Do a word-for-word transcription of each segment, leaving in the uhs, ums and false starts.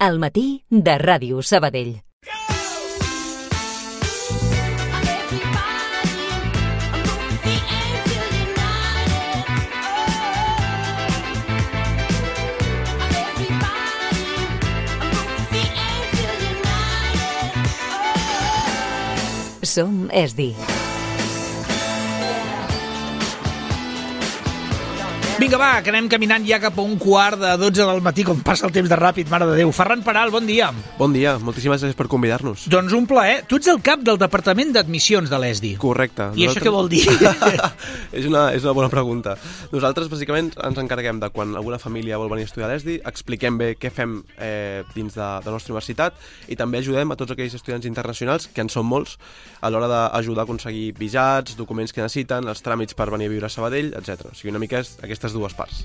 Al matí de Ràdio Sabadell. Som Esdi. Vinga, va, que anem caminant ja cap a un quart de dotze del matí, com passa el temps de ràpid, mare de Déu. Ferran Peral, bon dia. Bon dia, moltíssimes gràcies per convidar-nos. Doncs un plaer. Tu ets el cap del Departament d'Admissions de l'E S D I. Correcte. I Nosaltres... això què vol dir? és, una, és una bona pregunta. Nosaltres, bàsicament, ens encarreguem de quan alguna família vol venir a estudiar a l'E S D I, expliquem bé què fem eh, dins de, de la nostra universitat i també ajudem a tots aquells estudiants internacionals, que en són molts, a l'hora d'ajudar a aconseguir visats, documents que necessiten, els tràmits per venir a viure a Sabadell, etcètera. O sigui, una mica és aquestes dues parts.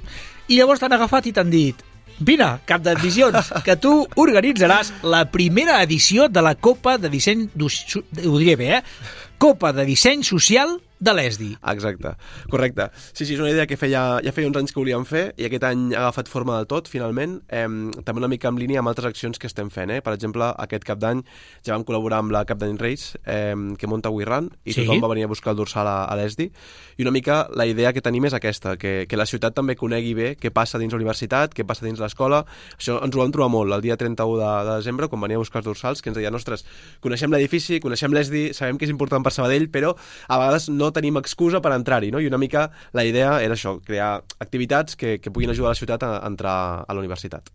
I llavors t'han agafat i t'han dit: vine, cap d'admissions, que tu organitzaràs la primera edició de la Copa de Disseny... Ho diré bé, eh? Copa de Disseny Social de l'E S D I. Exacte, correcte. Sí, sí, és una idea que feia, ja feia uns anys que volíem fer i aquest any ha agafat forma del tot, finalment. Eh, també una mica en línia amb altres accions que estem fent. Eh? Per exemple, aquest cap d'any ja vam col·laborar amb la Cap d'any Reis, eh, que munta WeRun, i sí? Tothom va venir a buscar el dorsal a, a l'E S D I. I una mica la idea que tenim és aquesta, que, que la ciutat també conegui bé què passa dins la universitat, què passa dins l'escola. Això ens ho vam trobar molt el dia trenta-u de, de desembre, quan venia a buscar els dorsals, que ens deien: ostres, coneixem l'edifici, coneixem l'E S D I, sabem que és important per Sabadell, però a vegades no tenim excusa per entrar-hi, no? I una mica la idea era això, crear activitats que, que puguin ajudar la ciutat a, a entrar a la universitat.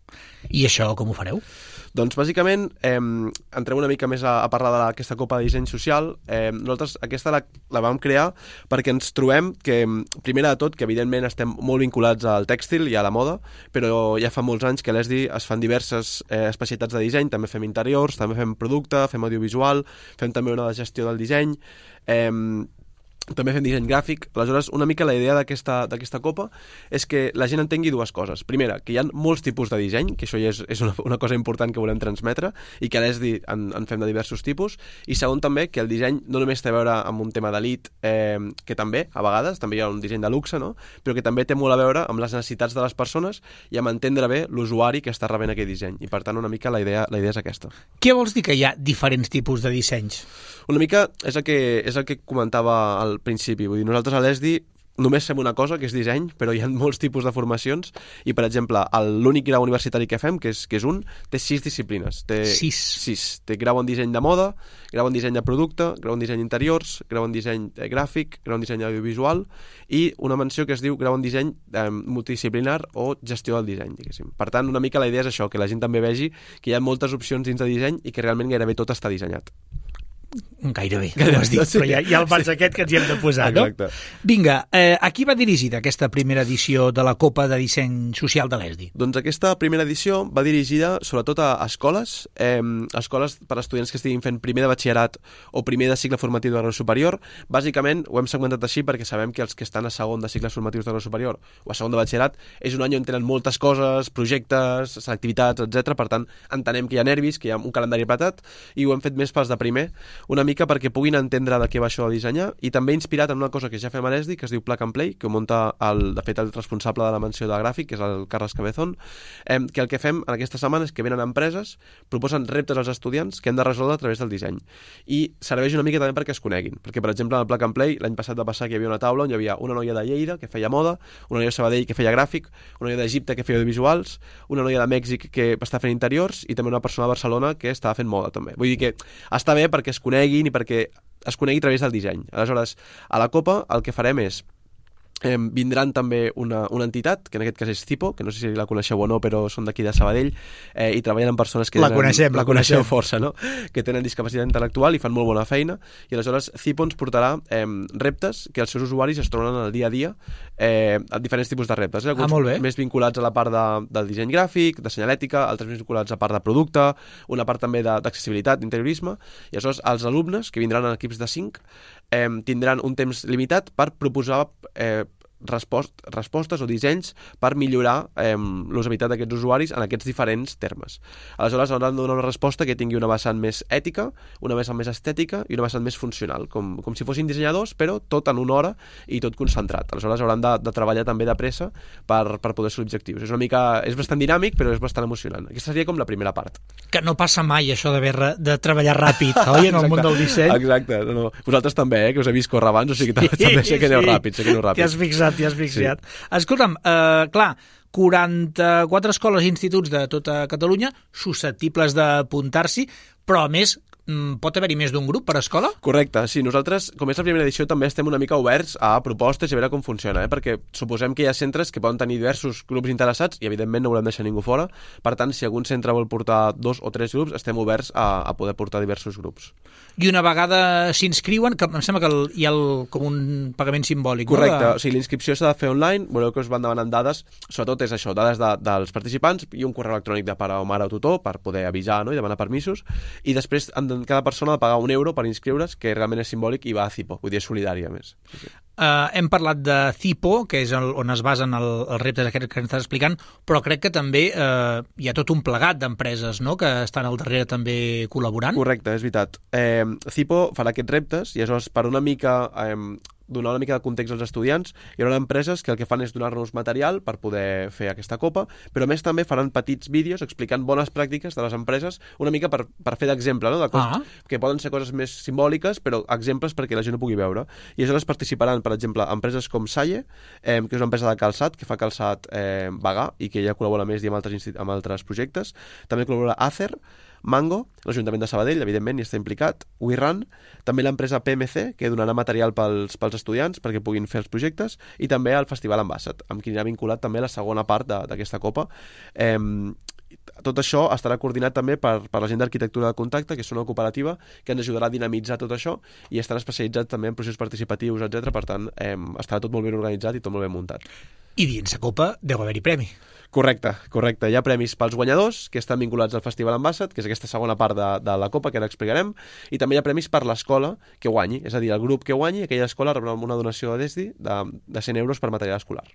I això com ho fareu? Doncs bàsicament eh, entrem una mica més a, a parlar d'aquesta Copa de Disseny Social. Eh, nosaltres aquesta la, la vam crear perquè ens trobem que, primera de tot, que evidentment estem molt vinculats al tèxtil i a la moda, però ja fa molts anys que a l'E S D I es fan diverses eh, especialitats de disseny, també fem interiors, també fem producte, fem audiovisual, fem també una de gestió del disseny, eh, també fem disseny gràfic. Aleshores, una mica la idea d'aquesta d'aquesta copa és que la gent entengui dues coses. Primera, que hi ha molts tipus de disseny, que això ja és, és una, una cosa important que volem transmetre, i que a l'E S D I en, en fem de diversos tipus. I segon, també, que el disseny no només té a veure amb un tema d'elit, eh, que també, a vegades, també hi ha un disseny de luxe, no? Però que també té molt a veure amb les necessitats de les persones i amb entendre bé l'usuari que està rebent aquell disseny. I, per tant, una mica la idea, la idea és aquesta. Què vols dir que hi ha diferents tipus de dissenys? Una mica és el que, és el que comentava al principi. Vull dir, nosaltres a l'E S D I només fem una cosa, que és disseny, però hi ha molts tipus de formacions i, per exemple, l'únic grau universitari que fem, que és, que és un, té sis disciplines. Té sis? Sis. Té grau en disseny de moda, grau en disseny de producte, grau en disseny interiors, grau en disseny gràfic, grau en disseny audiovisual i una menció que es diu grau en disseny eh, multidisciplinar o gestió del disseny, diguéssim. Per tant, una mica la idea és això, que la gent també vegi que hi ha moltes opcions dins de disseny i que realment gairebé tot està dissenyat. Gairebé, ho has dit, però ja, ja el pas aquest que ens hi hem de posar, no? Exacte. Vinga, eh, a qui va dirigida aquesta primera edició de la Copa de Disseny Social de l'E S D I? Doncs aquesta primera edició va dirigida sobretot a escoles, eh, escoles per a estudiants que estiguin fent primer de batxillerat o primer de cicle formatiu de grau superior. Bàsicament ho hem segmentat així perquè sabem que els que estan a segon de cicles formatius de grau superior o a segon de batxillerat és un any on tenen moltes coses, projectes, selectivitats, etcètera. Per tant, entenem que hi ha nervis, que hi ha un calendari apretat i ho hem fet més pels de primer, una mica perquè puguin entendre de què va això de dissenyar i també inspirat en una cosa que ja fem a l'E S D I que es diu Plug and Play, que ho munta el, de fet el responsable de la menció de gràfic, que és el Carles Cabezón, eh, que el que fem en aquesta setmana és que venen empreses, proposen reptes als estudiants que hem de resoldre a través del disseny i serveix una mica també perquè es coneguin, perquè per exemple en el Plug and Play l'any passat va passar que hi havia una taula on hi havia una noia de Lleida que feia moda, una noia de Sabadell que feia gràfic, una noia d'Egipte que feia audiovisuals, una noia de Mèxic que està fent interiors i també una persona de Barcelona que estava fent moda també. Vull dir que està bé perquè es coneguin i perquè es conegui a través del disseny. Aleshores, a la Copa el que farem és Eh, vindran també una, una entitat, que en aquest cas és Cipo, que no sé si la coneixeu o no, però són d'aquí de Sabadell, eh, i treballen amb persones que la tenen, coneixem, la, la coneixem força, no? Que tenen discapacitat intel·lectual i fan molt bona feina, i aleshores Cipo ens portarà eh, reptes que els seus usuaris es troben en el dia a dia, eh, a diferents tipus de reptes. Eh? Alguns ah, més vinculats a la part de, del disseny gràfic, de senyalètica, altres més vinculats a part de producte, una part també d'accessibilitat, d'interiorisme, i aleshores els alumnes, que vindran en equips de cinc, eh, tindran un temps limitat per proposar eh, respost, respostes o dissenys per millorar eh, l'usabilitat d'aquests usuaris en aquests diferents termes. Aleshores, hauran de donar una resposta que tingui una vessant més ètica, una vessant més estètica i una vessant més funcional, com, com si fossin dissenyadors, però tot en una hora i tot concentrat. Aleshores, hauran de, de treballar també de pressa per, per poder ser objectius. És una mica, és bastant dinàmic, però és bastant emocionant. Aquesta seria com la primera part. Que no passa mai això de, de treballar ràpid, oi, en el món del disseny. Exacte. No, no. Vosaltres també, eh, que us he vist córrer abans, o sigui que sí, també sé que aneu sí. ràpid, sé que aneu ràpid. T'hi has fixat, t'hi has fixat. Sí. Escolta'm, eh, clar, quaranta-quatre escoles i instituts de tota Catalunya susceptibles d'apuntar-s'hi, però a més pot haver-hi més d'un grup per escola? Correcte, sí. Nosaltres, com és la primera edició, també estem una mica oberts a propostes i a veure com funciona, eh? Perquè suposem que hi ha centres que poden tenir diversos grups interessats i, evidentment, no volem deixar ningú fora. Per tant, si algun centre vol portar dos o tres grups, estem oberts a, a poder portar diversos grups. I una vegada s'inscriuen, que em sembla que el, hi ha el, com un pagament simbòlic. Correcte, no? O sigui, l'inscripció s'ha de fer online, veureu que us van demanant dades, sobretot és això, dades de, dels participants i un correu electrònic de pare o mare o tutor per poder avisar, no?, i demanar permisos, i després cada persona ha de pagar un euro per inscriure's, que realment és simbòlic i va a Cipo, vull dir, és solidari a més. Sí, sí. Uh, hem parlat de Cipo, que és el, on es basen el, els reptes que ens estàs explicant, però crec que també uh, hi ha tot un plegat d'empreses, no?, que estan al darrere també col·laborant. Correcte, és veritat. Eh, Cipo farà aquests reptes i aleshores per una mica eh, donar una mica de context als estudiants, hi haurà empreses que el que fan és donar-nos material per poder fer aquesta copa, però a més també faran petits vídeos explicant bones pràctiques de les empreses, una mica per, per fer d'exemple, no?, de coses ah. que poden ser coses més simbòliques, però exemples perquè la gent ho pugui veure. I aleshores participaran, per exemple, empreses com Salle, eh, que és una empresa de calçat, que fa calçat eh, vegà i que ja col·labora més i amb altres, amb altres projectes. També col·labora Acer, Mango, l'Ajuntament de Sabadell, evidentment, hi està implicat, WeRun, també l'empresa P M C, que donarà material pels, pels estudiants perquè puguin fer els projectes, i també el Festival Ambassat, amb qui anirà vinculat també la segona part d'aquesta copa. Eh, tot això estarà coordinat també per, per la gent d'Arquitectura de Contacte, que és una cooperativa que ens ajudarà a dinamitzar tot això, i estan especialitzats també en processos participatius, etcètera. Per tant, eh, estarà tot molt ben organitzat i tot molt ben muntat. I dins la copa deu haver-hi premi. Correcte, correcte. Hi ha premis pels guanyadors, que estan vinculats al Festival Ambassat, que és aquesta segona part de, de la copa que ara explicarem, i també hi ha premis per l'escola que guanyi, és a dir, el grup que guanyi, aquella escola rebrà una donació de DESDI de, de cent euros per material escolar.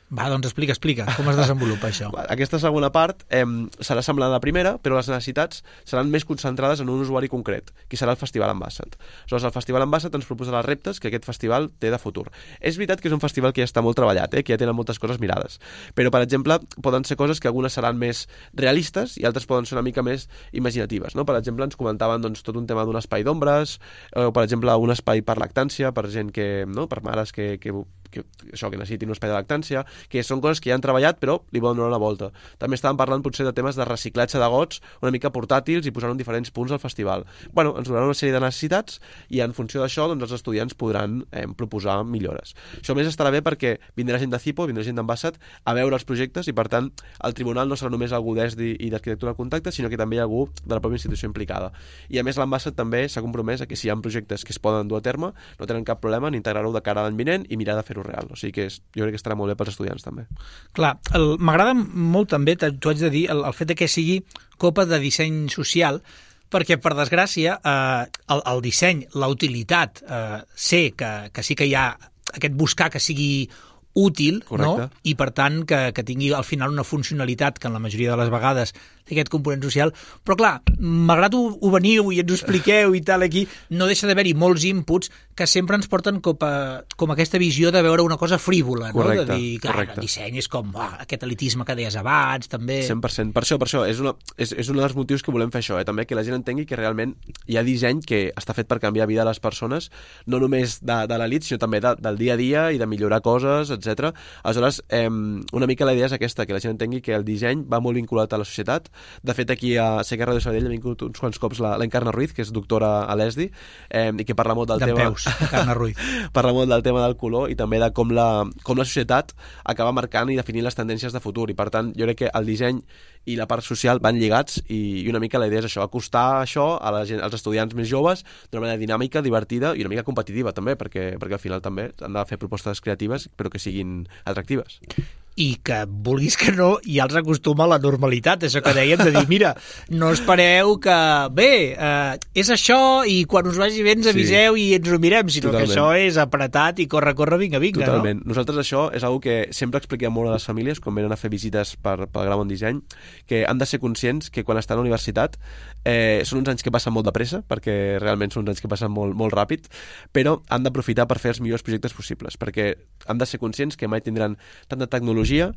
Va, doncs explica, explica, com es desenvolupa això? Aquesta segona part eh, serà semblant a la primera, però les necessitats seran més concentrades en un usuari concret, que serà el Festival Ambassat. Aleshores, el Festival Ambassat ens proposarà els reptes que aquest festival té de futur. És veritat que és un festival que ja està molt treballat, eh, que ja tenen moltes coses mirades, però, per exemple, poden ser coses que algunes seran més realistes i altres poden ser una mica més imaginatives, no? Per exemple, ens comentaven doncs, tot un tema d'un espai d'ombres, o, per exemple, un espai per lactància, per gent que, no?, per mares que, que que, això, que necessitin un espai de lactància, que són coses que ja han treballat però li volen donar una volta. També estàvem parlant potser de temes de reciclatge de gots una mica portàtils i posar-ho en diferents punts del festival. Bueno, ens donaran una sèrie de necessitats i en funció d'això doncs, els estudiants podran eh, proposar millores. Això més estarà bé perquè vindrà gent de Cipo, vindrà gent d'Ambassat a veure els projectes i per tant el tribunal no serà només algú d'ESDI i d'Arquitectura de Contacte, sinó que també hi ha algú de la pròpia institució implicada. I a més l'Ambassat també s'ha compromès a que si hi ha projectes que es poden dur a terme no tenen cap problema en integrar-ho de cara a l'any vinent i mirar de fer-ho real. O sigui que és, jo crec que estarà molt bé pels estudiants també. Clar, m'agrada molt també, t'ho haig de dir, el, el fet de que sigui copa de disseny social, perquè per desgràcia eh, el, el disseny, la utilitat, eh, sé que, que sí que hi ha aquest buscar que sigui útil, no? I per tant que, que tingui al final una funcionalitat que en la majoria de les vegades té aquest component social, però clar, malgrat ho, ho veniu i ens ho expliqueu i tal aquí, no deixa d'haver-hi molts inputs que sempre ens porten com, a, com aquesta visió de veure una cosa frívola, correcte, no? De dir que ah, el disseny és com ah, aquest elitisme que deies abans, també... cent per cent. Per això, per això, és, una, és, és un dels motius que volem fer això, eh? També que la gent entengui que realment hi ha disseny que està fet per canviar vida a les persones, no només de, de l'elit, sinó també de, del dia a dia i de millorar coses, etcètera. Aleshores, eh, una mica la idea és aquesta, que la gent entengui que el disseny va molt vinculat a la societat. De fet, aquí a Sé que Ràdio Sabadell ha vingut uns quants cops la, la Encarna Ruiz, que és doctora a l'ESDI, eh, i que parla molt del de tema... peus, Encarna Ruiz. Parla molt del tema del color i també de com la, com la societat acaba marcant i definint les tendències de futur. I per tant, jo crec que el disseny i la part social van lligats i, i una mica la idea és això, acostar això a la gent, als estudiants més joves d'una manera dinàmica, divertida i una mica competitiva també, perquè, perquè al final també han de fer propostes creatives però que siguin atractives. i que vulguis que no, ja els acostuma a la normalitat, això que dèiem, de dir, mira, no espereu que, bé, eh, és això i quan us vagi bé ens aviseu sí. i ens ho mirem, sinó Totalment. Que això és apretat i corre, corre, vinga, vinga, Totalment. no? Nosaltres això és una que sempre expliquem molt a les famílies quan venen a fer visites per, pel Grau en Disseny, que han de ser conscients que quan estan a la universitat eh, són uns anys que passen molt de pressa, perquè realment són uns anys que passen molt, molt ràpid, però han d'aprofitar per fer els millors projectes possibles, perquè han de ser conscients que mai tindran tanta tecnologia,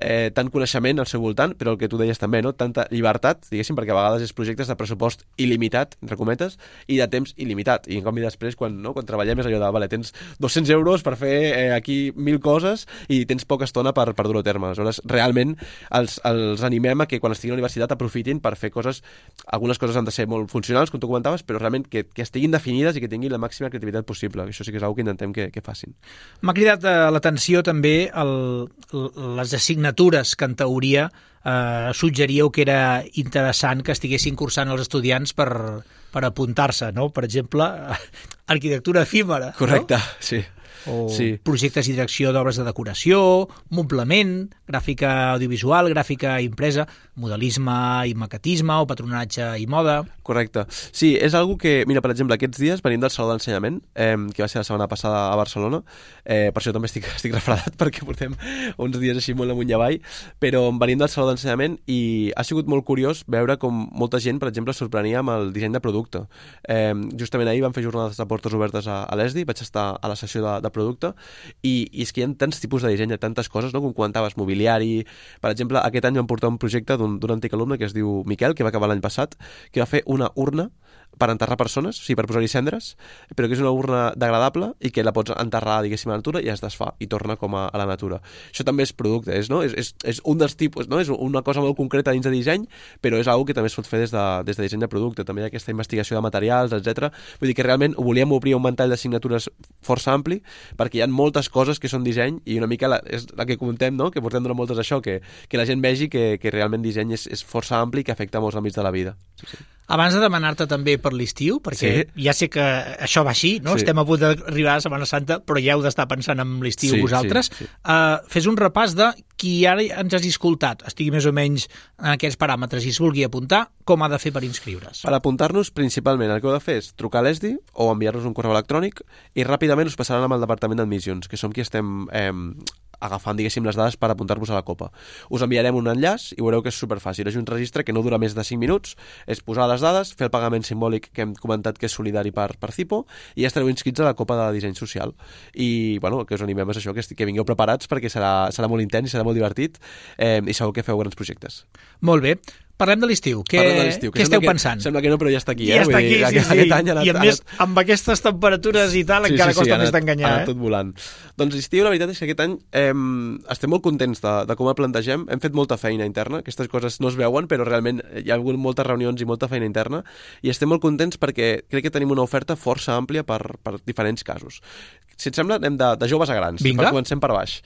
eh, tant coneixement al seu voltant, però el que tu deies també, no? Tanta llibertat, diguéssim, perquè a vegades és projectes de pressupost il·limitat, entre cometes, i de temps il·limitat. I en canvi després, quan, no? quan treballem és allò de, vale, tens dos-cents euros per fer eh, aquí mil coses i tens poca estona per, per dur-ho a terme. Aleshores, realment els, els animem a que quan estiguin a la universitat aprofitin per fer coses, algunes coses han de ser molt funcionals, com tu comentaves, però realment que, que estiguin definides i que tinguin la màxima creativitat possible. Això sí que és una que intentem que, que facin. M'ha cridat eh, l'atenció també el, les assignatures que en teoria eh, suggeríeu que era interessant que estiguessin cursant els estudiants per, per apuntar-se, no? Per exemple, arquitectura efímera. Correcte, no? sí. O sí. projectes i direcció d'obres de decoració, moblament, gràfica audiovisual, gràfica impresa, modelisme i maquetisme o patronatge i moda. Correcte. Sí, és algo que, mira, per exemple, aquests dies venim del Saló d'Ensenyament, eh, que va ser la setmana passada a Barcelona, eh, per això també estic, estic refredat, perquè portem uns dies així molt amunt i avall, però venim del Saló d'Ensenyament i ha sigut molt curiós veure com molta gent, per exemple, es sorprenia amb el disseny de producte. Eh, justament ahir vam fer jornades de portes obertes a, a l'E S D I, vaig estar a la sessió de, de producte, i, i és que hi ha tants tipus de disseny, tantes coses, no? Com comentaves, mobiliari. Per exemple, aquest any vam portar un projecte d'un antic alumne que es diu Miquel, que va acabar l'any passat, que va fer una urna per enterrar persones, o sigui, per posar-hi cendres, però que és una urna degradable i que la pots enterrar, diguéssim, a la natura i es desfà i torna com a, a la natura. Això també és producte, és, no? és, és, és un dels tipus, no? És una cosa molt concreta dins de disseny, però és una que també es pot fer des de, des de disseny de producte. També hi ha aquesta investigació de materials, etcètera. Vull dir que realment volíem obrir un ventall d'assignatures força ampli, perquè hi ha moltes coses que són disseny i una mica la, és la que comentem, no? Que portem durant moltes això, que, que la gent vegi que, que realment disseny és, és força ampli i que afecta molts àmbits de la vida. Sí, sí. Abans de demanar-te també per l'estiu, perquè sí. ja sé que això va així, no? Sí. Estem a punt d'arribar a Setmana Santa, però ja heu d'estar pensant en l'estiu sí, vosaltres. Sí, sí. Uh, fes un repàs de qui ara ens has escoltat, estigui més o menys en aquests paràmetres i es vulgui apuntar, com ha de fer per inscriure's? Per apuntar-nos, principalment, el que heu de fer és trucar a l'E S D I o enviar-nos un correu electrònic i ràpidament us passaran amb el Departament d'Admissions, que som qui estem eh, agafant, diguéssim, les dades per apuntar-vos a la Copa. Us enviarem un enllaç i veureu que és superfàcil. És un registre que no dura més de cinc minuts, és posar les dades, fer el pagament simbòlic que hem comentat que és solidari per, per Cipo i ja estareu inscrits a la Copa de Disseny Social. I, bueno, el que us animem és això, que, que vingueu preparats perquè serà, serà molt intens i serà molt divertit eh, i segur que feu grans projectes. Molt bé. Parlem de l'estiu. Què, què esteu que, pensant? Sembla que no, però ja està aquí. Ja eh? està aquí, dir, sí, aquest, sí. Aquest any anat, I a més, anat... amb aquestes temperatures i tal, sí, encara sí, sí, costa anat, més d'enganyar. Ha anat eh? tot volant. Doncs l'estiu, la veritat és que aquest any eh, estem molt contents de, de com el plantegem. Hem fet molta feina interna. Aquestes coses no es veuen, però realment hi ha hagut moltes reunions i molta feina interna. I estem molt contents perquè crec que tenim una oferta força àmplia per, per diferents casos. Si et sembla, anem de, de joves a grans. Vinga. Comencem per baix.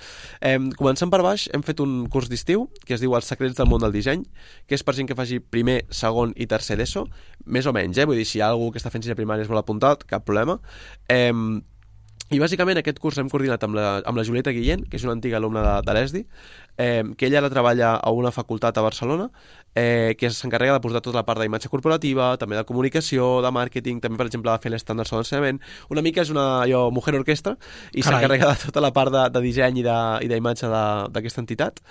Eh, comencem per baix, hem fet un curs d'estiu que es diu Els secrets del món del disseny, que és per gent que faci primer, segon i tercer d'ESO, més o menys, eh? Vull dir, si hi ha algú que està fent sisè primària es vol apuntar, cap problema. Eh, I bàsicament aquest curs l'hem coordinat amb la, amb la Julieta Guillén, que és una antiga alumna de, de l'E S D I, eh, que ella la treballa a una facultat a Barcelona, eh, que s'encarrega de portar tota la part d'imatge corporativa, també de comunicació, de màrqueting, també, per exemple, de fer l'estand del Saló d'Ensenyament. Una mica és una allò, mujer orquestra, i s'encarrega de tota la part de, de disseny i d'imatge d'aquesta entitat,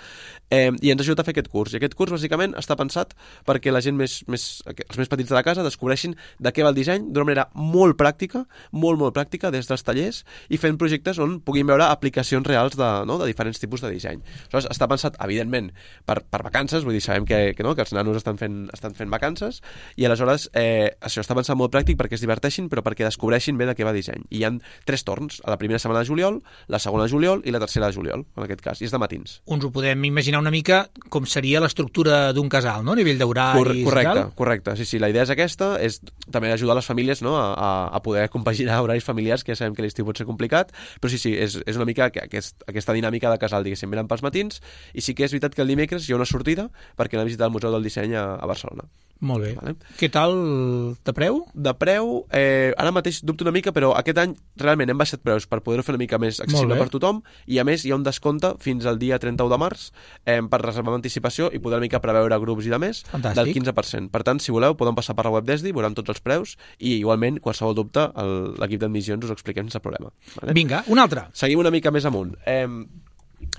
eh, i ens ajuda a fer aquest curs. I aquest curs, bàsicament, està pensat perquè la gent més, més, els més petits de la casa descobreixin de què va el disseny d'una manera molt pràctica, molt, molt pràctica, des dels tallers, i fent projectes on puguin veure aplicacions reals de, no, de diferents tipus de disseny. Aleshores, està pensat, evidentment, per, per vacances, vull dir, sabem que, que, no, que els nanos estan fent, estan fent vacances, i aleshores eh, això està pensat molt pràctic perquè es diverteixin, però perquè descobreixin bé de què va disseny. I hi ha tres torns, a la primera setmana de juliol, la segona de juliol i la tercera de juliol, en aquest cas, i és de matins. Uns ho podem imaginar una mica com seria l'estructura d'un casal, no?, a nivell d'horaris. Cor correcte, correcte, sí, sí, la idea és aquesta, és també ajudar les famílies, no?, a, a poder compaginar horaris familiars, que ja sabem que l'estiu pot ser complicat, però sí, sí, és, és una mica aquest, aquesta dinàmica de casal, diguéssim, venen pels matins, i sí que és veritat que el dimecres hi ha una sortida perquè anem a visitar el Museu del Disseny a, a Barcelona. Molt bé. Vale? Què tal de preu? De preu, eh, ara mateix dubto una mica, però aquest any realment hem baixat preus per poder-ho fer una mica més accessible per tothom, i a més hi ha un descompte fins al dia trenta-u de març eh, per reservar amb anticipació i poder una mica preveure grups i de més Fantàstic. del quinze per cent. Per tant, si voleu, podem passar per la web d'Esdi, veuran tots els preus i igualment, qualsevol dubte, el- l'equip d'admissions us ho expliquem sense problema. Vale? Vinga, un altre. Seguim una mica més amunt. Eh,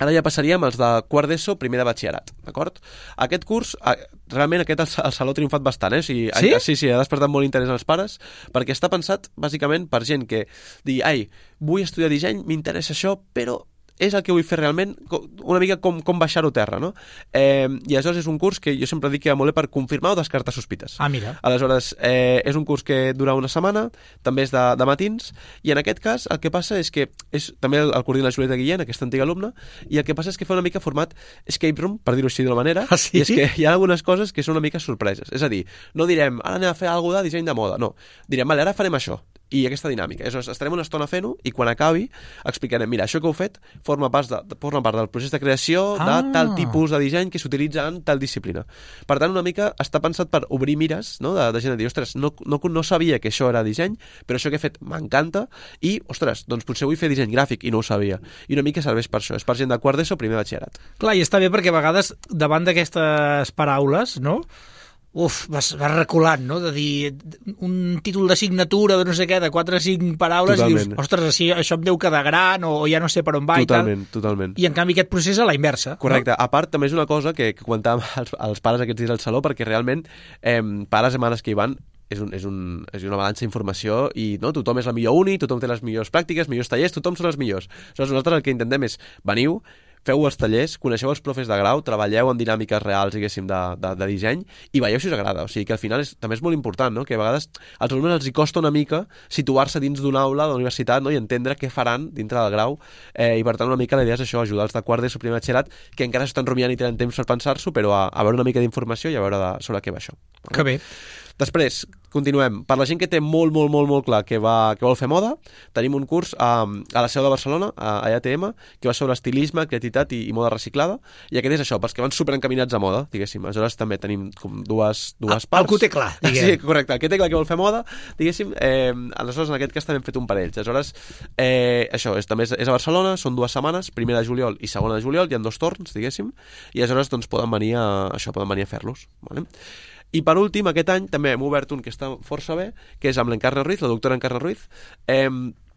Ara ja passaríem als de quart d'ESO, primer de batxillerat, d'acord? Aquest curs, eh, realment aquest el, el Saló ha triomfat bastant, eh? O sigui, Sí? Ha, sí, sí, ha despertat molt interès als pares, perquè està pensat, bàsicament, per gent que digui, ai, vull estudiar disseny, m'interessa això, però és el que vull fer realment, co- una mica com, com baixar-ho a terra, no? Eh, I aleshores és un curs que jo sempre dic que va molt bé per confirmar o descartar sospites. Ah, mira. Aleshores, eh, és un curs que dura una setmana, també és de, de matins, i en aquest cas el que passa és que és, també el, el coordina la Julieta Guillén, aquesta antiga alumna, i el que passa és que fa una mica format escape room, per dir-ho així d'una manera, Ah, sí? i és que hi ha algunes coses que són una mica sorpreses. És a dir, no direm, ara anem a fer alguna de disseny de moda, no. Direm, vale, ara farem això, i aquesta dinàmica. Aleshores, estarem una estona fent-ho i quan acabi explicarem, mira, això que heu fet forma part, de, forma part del procés de creació de Ah. tal tipus de disseny que s'utilitza en tal disciplina. Per tant, una mica està pensat per obrir mires, no?, de, de gent a dir, ostres, no, no, no sabia que això era disseny, però això que he fet m'encanta i, ostres, doncs potser vull fer disseny gràfic i no ho sabia. I una mica serveix per això. És per gent de quart d'ESO, primer batxillerat. Clar, i està bé perquè a vegades davant d'aquestes paraules, no? Uf, vas, vas reculant, no? De dir un títol de signatura de no sé què, de quatre o cinc paraules, Totalment. i dius, ostres, així, això em deu quedar gran o, o ja no sé per on va Totalment, i tal. totalment. I en canvi aquest procés a la inversa. Correcte. A part, també és una cosa que, que comentàvem als, als pares aquests dies al saló, perquè realment eh, pares i mares que hi van és, un, és, un, és una balança d'informació i no, tothom és la millor uni, tothom té les millors pràctiques, millors tallers, tothom són els millors. Aleshores, nosaltres el que intentem és, veniu, feu els tallers, coneixeu els profes de grau, treballeu en dinàmiques reals, diguéssim, de, de, de disseny, i veieu si us agrada. O sigui que al final és, també és molt important, no?, que a vegades als alumnes els hi costa una mica situar-se dins d'una aula de la universitat, no?, i entendre què faran dintre del grau, eh, i per tant una mica la idea és això, ajudar els de quart d'ESO, primer batxillerat, que encara s'estan rumiant i tenen temps per pensar-s'ho, però a, a veure una mica d'informació i a veure de, sobre què va això. Que bé. Després, continuem. Per la gent que té molt, molt, molt, molt clar que, va, que vol fer moda, tenim un curs a, a la seu de Barcelona, a, a E A T M, que va sobre estilisme, creativitat i, i moda reciclada, i aquest és això, pels que van superencaminats a moda, diguéssim. Aleshores també tenim com dues, dues El- parts. el que ho té clar, diguem. Sí, correcte. El que té clar que vol fer moda, diguéssim, eh, aleshores en aquest cas també hem fet un parell. Aleshores, eh, això, és, també és, és a Barcelona, són dues setmanes, primera de juliol i segona de juliol, hi ha dos torns, diguéssim, i aleshores doncs poden venir a, això, poden venir a fer-los. Vale? I per últim, aquest any també hem obert un que està força bé, que és amb l'Encarna Ruiz, la doctora Encarna Ruiz. Eh,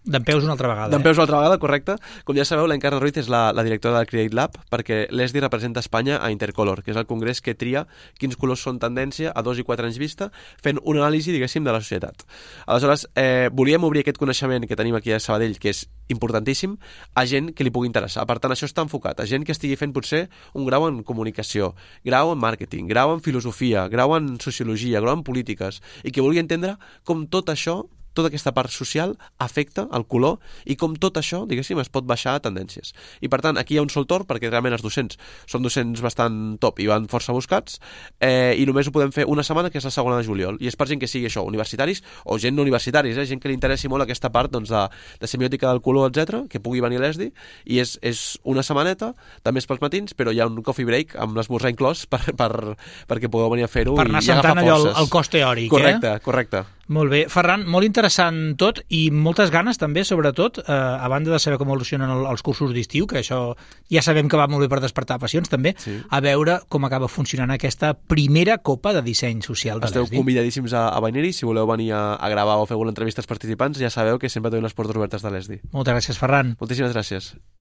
D'en peus una altra vegada. D'en peus una altra vegada, correcte. Com ja sabeu, l'Encarna Ruiz és la, la directora del Create Lab, perquè l'ESDI representa Espanya a Intercolor, que és el congrés que tria quins colors són tendència a dos i quatre anys vista, fent una anàlisi, diguéssim, de la societat. Aleshores, eh, volíem obrir aquest coneixement que tenim aquí a Sabadell, que és importantíssim, a gent que li pugui interessar. Per tant, això està enfocat a gent que estigui fent potser un grau en comunicació, grau en màrqueting, grau en filosofia, grau en sociologia, grau en polítiques, i que vulgui entendre com tot això, tota aquesta part social afecta el color i com tot això, diguéssim, es pot baixar a tendències. I per tant, aquí hi ha un sol torn perquè realment els docents són docents bastant top i van força buscats, eh, i només ho podem fer una setmana, que és la segona de juliol, i és per gent que sigui això, universitaris o gent no universitaris, eh, gent que li interessi molt aquesta part doncs, de, de semiòtica del color, etcètera, que pugui venir a l'ESDI, i és, és una setmaneta, també és pels matins, però hi ha un coffee break amb l'esmorzar inclòs per, per, perquè pugueu venir a fer-ho Per anar i, i agafar sentant allò el, forces. el cos teòric, Correcte, eh? correcte. Molt bé. Ferran, molt interessant tot i moltes ganes també, sobretot, eh, a banda de saber com evolucionen el, els cursos d'estiu, que això ja sabem que va molt bé per despertar passions, també, Sí. a veure com acaba funcionant aquesta primera copa de disseny social de Esteu l'ESDI. convidadíssims a, a venir-hi. Si voleu venir a, a gravar o fer alguna entrevista als participants, ja sabeu que sempre tenim les portes obertes de l'ESDI. Moltes gràcies, Ferran. Moltíssimes gràcies.